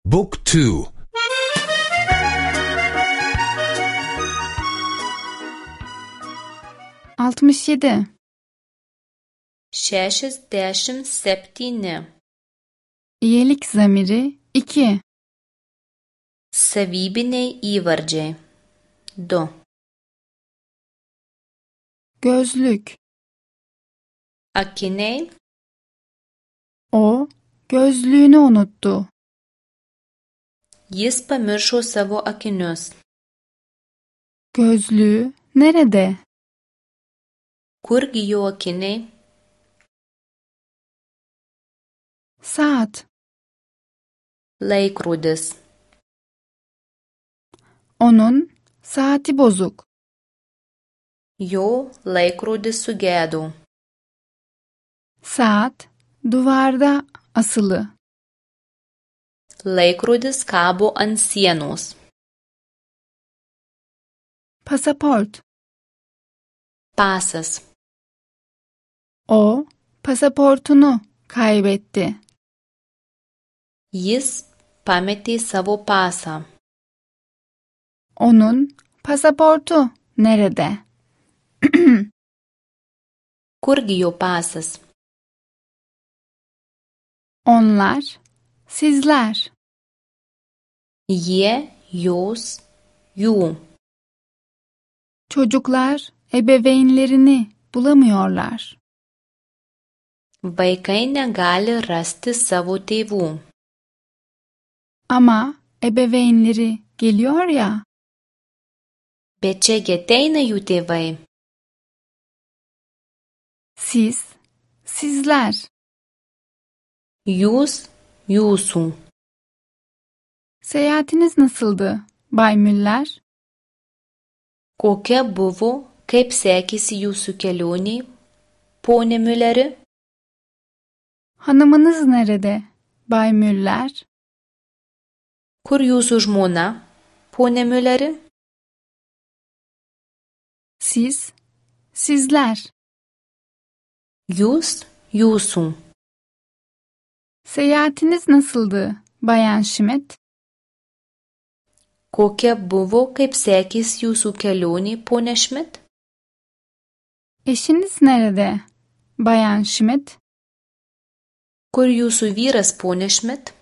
Book 2. 67. 67. İyelik zamiri 2. Savybiniai įvardžiai 2. Gözlük. Akiniai. O gözlüğünü unuttu. Jis pamiršo savo akinius. Gözlüğü nerede? Kurgi jo akiniai? Saat. Laikrodis. Onun saati bozuk. Jo laikrodis sugedo. Saat duvarda asılı. Laikrodis kabo ant sienos. Pasaport. Pasas. O pasaportunu kaybetti. Jis pametė savo pasą. Onun pasaportu nerede? Kurgi jo pasas? Onlar, sizler. Jie, jos, jų. Çocuklar ebeveynlerini bulamıyorlar. Vaikai negali rasti savo tėvų. Ama ebeveynleri geliyor ya. Bet čia ateina jų tėvai. Siz, sizler. Jūs, jūsų. Seyahatiniz nasıldı, Bay Müller? Kokia buvo, kaip sekėsi jūsų kelionė, pone Mülleri? Hanımınız nerede, Bay Müller? Kur jūsų žmona, pone Mülleri? Siz, sizler. Jūs, jūsų. Seyahatiniz nasıldı, Bayan Schmidt? Kokia buvo, kaip sekėsi jūsų kelionė, pone Schmidt? Eşiniz nerede, Bayan Schmidt? Kur jūsų vyras, pone Schmidt?